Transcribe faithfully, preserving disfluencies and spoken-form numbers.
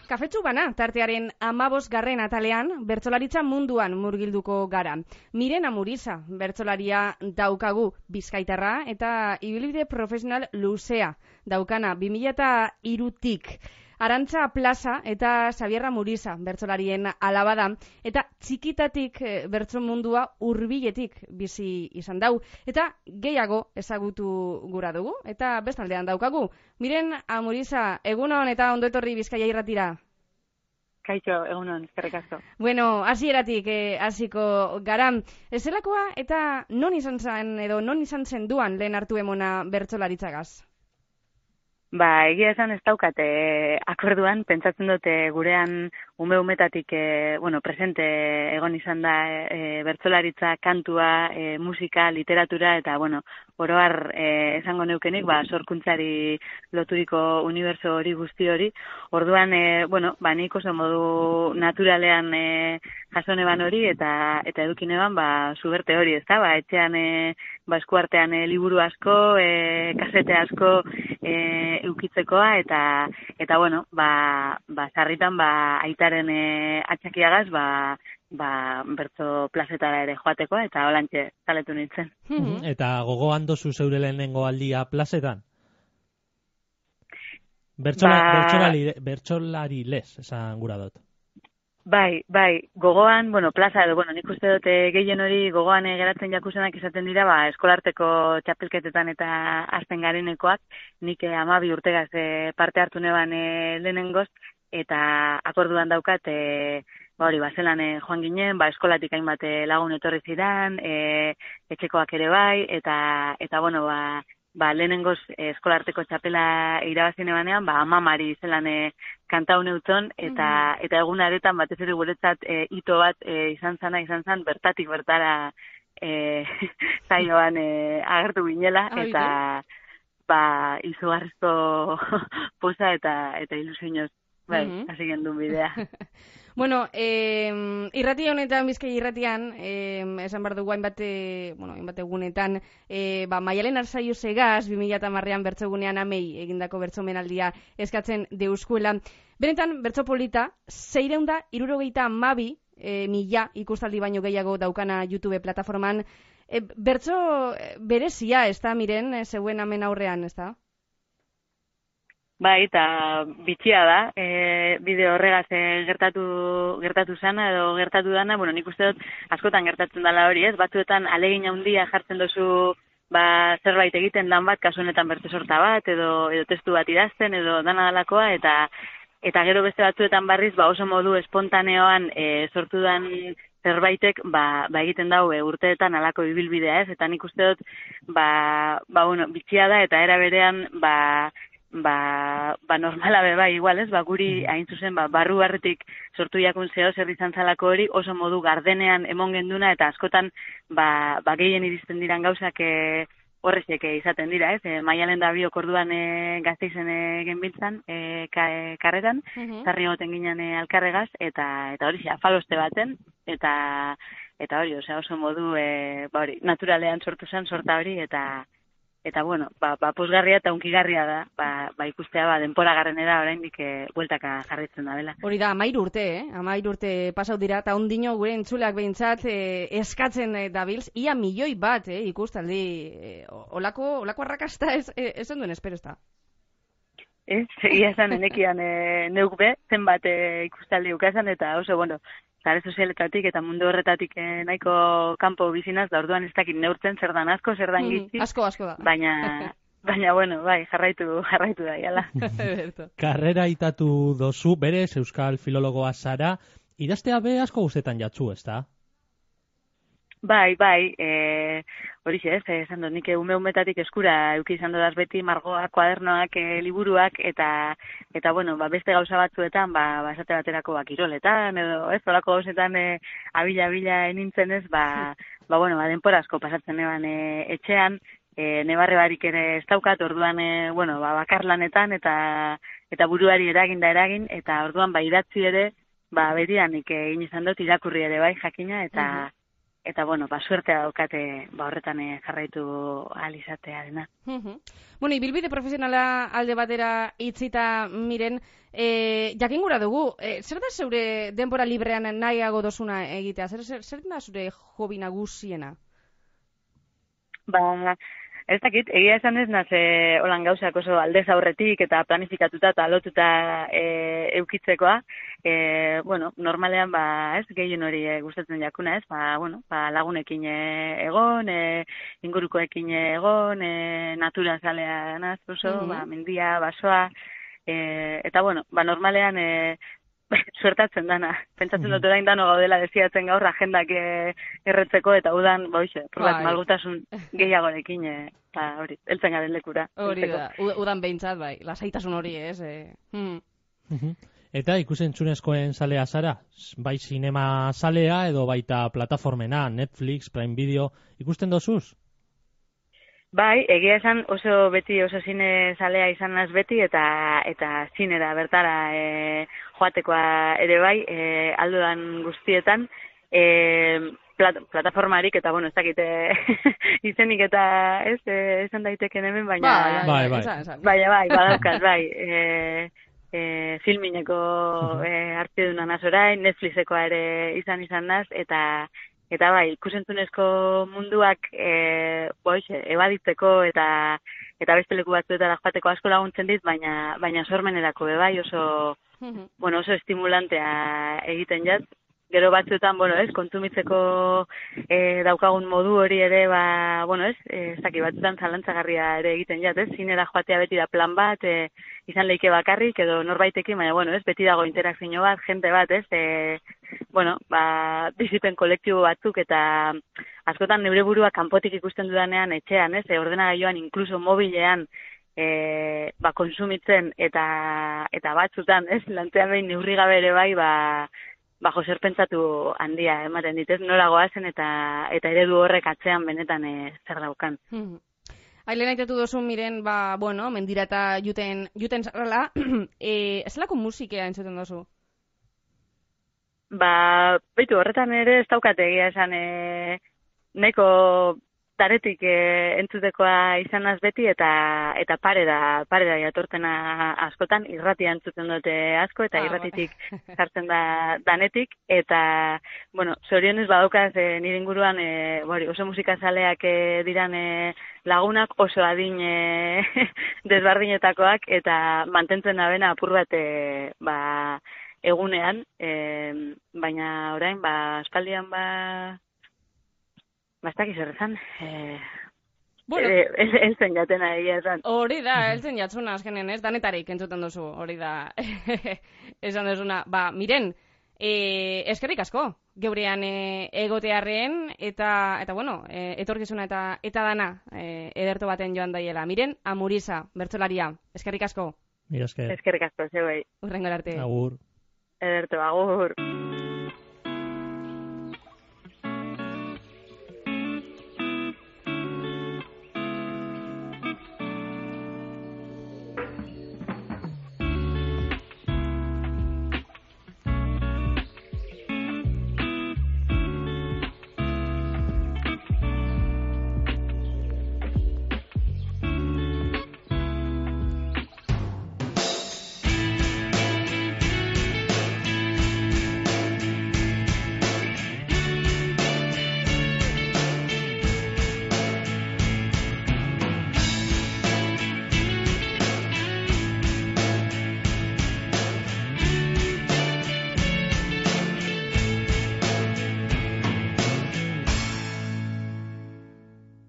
Kafetxu bana, tartearen amabosgarren atalean, bertsolaritza munduan murgilduko gara. Miren Amuriza, bertsolaria daukagu Bizkaitarra eta ibilbide profesional luzea daukana bi mila hirutik. Arantza Plaza eta Xabier Amuriza bertsolarien alaba da, eta txikitatik bertso mundua hurbiletik bizi izan dau. Eta gehiago ezagutu gura dugu, eta bestaldean daukagu. Miren Amuriza, egunon eta ondo etorri Bizkaia Irratira. Kaixo, egunon, eskerrik asko. Bueno, hasieratik eh, hasiko gara. Ezelakoa eta non izan zen edo non izan zen duan lehen hartu emona bertsolaritzagaz? Ba, egia esan ez daukate akorduan, pentsatzen dute gurean ume-umetatik e, bueno, presente egon izan da e, bertsolaritza, kantua, e, musika, literatura, eta, bueno, oroar e, esango neukenik, ba, sorkuntzari loturiko uniberso hori guzti hori. Orduan, e, bueno, ba, nik oso modu naturalean e, jasoneban hori, eta eta edukineban, ba, suberte hori, ez da, ba, etxean, e, ba, eskuartean e, liburu asko, e, kasete asko, e, eukitzekoa, eta, eta bueno, ba, ba, sarritan, ba, aitaren e, atxakiagaz, ba, ba, bertso plazetara ere joateko, eta holantxe zaletu nintzen. Mm-hmm. Eta gogoan dozu zeure lehenengo aldia plazetan? Bertsola, ba... Bertsolari, bertsolari les, esan gura dut. Bai, bai, gogoan, bueno, plaza edo, bueno, nik uste dute gehien hori gogoan e, geratzen jakusenak izaten dira, ba, eskolarteko txapelketetan eta azten garenekoak, nik e, amabi urtegaz e, parte hartu neban e, lehenengoz, eta akorduan daukat, e, ba hori, ba, zelan e, joan ginen, ba, eskolatik hainbat e, lagun etorri zidan, e, etxekoak ere bai, eta, eta bueno, ba, ba, lehenengoz eh, eskolarteko txapela irabazien ebanean, ba, amamari zelan eh, kantau neuton, eta, mm-hmm. eta egun aretan batez ere guretzat eh, ito bat eh, izan zana, izan zan, bertatik bertara eh, zainoan eh, agertu ginela, ah, eta ba, izugarrizko posa eta, eta ilusioz, bai, mm-hmm. hasi gendun bidea. Bueno, eh, irrati honetan, Bizkaia irratian, eh, esan behar dugu hainbat, bueno, hainbat egunetan, eh, ba, Maialen Arzaiu segaz, bi mila hamarrean bertsogunean amei egindako bertsomenaldia eskatzen deuskuela. Benetan, bertso polita, seiehun eta hirurogeita hamabi eh, mila ikustaldi baino gehiago daukana YouTube plataforman. Eh, bertso berezia, ez da, Miren, eh, zeuen hemen aurrean, ez da? Bai, eta bitxia da, e, bideo horregaz e, gertatu, gertatu zana edo gertatu dana, bueno, nik uste dut askotan gertatzen dela hori, ez? Batzuetan alegin handia jartzen duzu ba, zerbait egiten lan bat, kasu honetan bertso sorta bat, edo, edo testu bat idazten, edo dana dalakoa, eta eta gero beste batzuetan barriz, ba, oso modu espontaneoan e, sortu dan zerbaitek, ba, ba egiten dau e, urteetan alako ibilbidea, ez? Eta nik uste dut, ba, ba bueno, bitxia da, eta era berean, ba, Ba, ba normala be bai, igual, ez? Ba, guri hain zuzen, ba, barru barretik sortu jakun zeo zer izan zalako hori, oso modu gardenean emon genduna, eta askotan, ba, ba gehien iristen diran gauzak e, horrezek izaten dira, ez? E, Maialen da biok orduan e, Gasteizen e, genbiltzan, e, ka, e, karretan, uh-huh. zarri goten ginen e, alkarregaz, eta eta hori, afaloste baten, eta eta hori, osea, oso modu, e, ba hori, naturalean sortu zen, sorta hori, eta Eta, bueno, ba, ba posgarria eta unkigarria da, ba, ba ikustea, ba, denpora garrenera oraindik e, bueltaka jarritzen da bela. Hori da, amairu urte, eh? Amairu urte pasau dira, eta ondino gure entzuleak behintzat eh, eskatzen eh, dabilz, ia milioi bat, eh, ikustaldi, eh, olako, olako arrakasta ez, ez, ez onduen espero ez da. Ez, egia esan enekian e, neuk be, zenbat e, ikustaldi ukazan, eta oso, bueno, zare sozialetatik eta mundu horretatik eh, nahiko kanpo bizinaz, da orduan ez dakit neurtzen zer dan asko, zer dan gitzi. Mm, asko, asko da. Baina, baina, bueno, bai, jarraitu, jarraitu da, jala. Karrera itatu dozu, berez, euskal filologoa zara, idaztea be asko guztetan jatzu, ez da? Bai, bai, e, hori ez, esan dut, nik ume-umetatik eskura euki izan dodaz beti margoak, kuadernoak, e, liburuak, eta, eta bueno, ba, beste gauza batzuetan, ba, ba esate baterako ba, kiroletan, edo ez, olako gauzetan e, abila-abila enintzen ez, ba, ba, bueno, ba, denpora asko pasatzen eban e, etxean, e, nebarre barik ere ez daukat, orduan, e, bueno, ba, bakarlanetan, eta, eta buruari eragin da eragin, eta orduan, ba, idatzi ere, ba, berian, nik egin izan dut irakurri ere bai, jakina, eta, uh-huh. eta bueno, ba, suertea daukate ba, horretan eh, jarraitu ahal izatearena. Bueno, ibilbide profesionala alde batera itzita miren, e, jakin gura dugu, e, zer da zeure denbora librean nahiago dozuna egitea? Zer, zer, zer da zure hobi nagusiena? Ba, ez dakit, egia esan ez naz, e, holan gauzak oso aldez aurretik eta planifikatuta eta lotuta e, eukitzekoa. E, bueno, normalean, ba, ez, gehien hori e, gustatzen jakuna, ez, ba, bueno, ba, lagunekin e, egon, e, ingurukoekin egon, e, natura zalea naz, oso, mm-hmm. ba, mendia, basoa, e, eta, bueno, ba, normalean, e, suertatzen dana. Pentsatzen dut orain dano gaudela desiatzen gaur agendak e, erretzeko eta udan, ba, hoxe, probat, malgutasun gehiagorekin, e, ba, hori, heltzen garen lekura. Hori da, udan behintzat, bai, lasaitasun hori, ez? E. Hmm. Eta ikusentzunezkoen zalea zara? Bai sinema zalea edo baita plataformena, Netflix, Prime Video, ikusten dozuz? Bai, egia esan oso beti oso zine zalea izan naz beti eta eta zinera bertara e, joatekoa ere bai, e, aldudan guztietan, e, plat, plataformarik eta, bueno, ez dakite izenik eta ez, e, esan daiteken hemen, baina... Bai, bai, bai. Bai, bai, badaukat, bai. E, e, filmineko e, hartiduna naz orain, Netflixekoa ere izan izan naz, eta... Eta bai, ikusentzunezko munduak e, boixe, ebaditzeko eta eta beste leku batzuetara joateko asko laguntzen dit, baina baina sormenerako be bai oso bueno, oso estimulantea egiten jat. Gero batzuetan, bueno, ez, kontsumitzeko e, daukagun modu hori ere, ba, bueno, ez, ez daki batzuetan zalantzagarria ere egiten jat, ez, zinera joatea beti da plan bat, e, izan leike bakarrik edo norbaitekin, baina, bueno, ez, beti dago interakzio bat, jente bat, ez, e, bueno, ba, bizipen kolektibo batzuk eta askotan neure burua kanpotik ikusten dudanean etxean, ez, e, ordenagailuan, inkluso mobilean, e, ba, konsumitzen eta eta batzutan, ez, lantean behin neurri gabe ere bai, ba, bajo zer pentsatu handia ematen ditez, nola goazen eta eta eredu horrek atzean benetan e, zer daukan. Hmm. Ailena aitatu dozun miren, ba, bueno, mendira eta juten, juten zarrala, e, zelako musikea entzuten dozu? Ba, baitu, horretan ere ez daukate egia esan e, neko taretik e, entzutekoa izanaz beti eta eta pare da, pare da jatortena askotan, irratia entzuten dute asko eta ah, irratitik jartzen da danetik eta, bueno, zorionez badaukaz e, nire inguruan e, bori, oso musikazaleak e, diran e, lagunak oso adin e, desbardinetakoak eta mantentzen dabena apur bat e, ba, egunean, e, baina orain, ba, aspaldian ba Bastak izerrezan, eh, bueno, eh, eltzen jatena egia esan. Hori da, eltzen jatzuna azkenen, ez? Danetarik entzuten duzu, hori da. Esan duzuna, ba, miren, eh, eskerrik asko, geurean eh, egotearren, eta, eta bueno, eh, etorkizuna eta eta dana eh, ederto baten joan daiela. Miren, Amuriza, bertsolaria, eskerrik asko. Mira, esker. Eskerrik asko, zeu bai. Urrengor arte. Agur. Ederto, agur.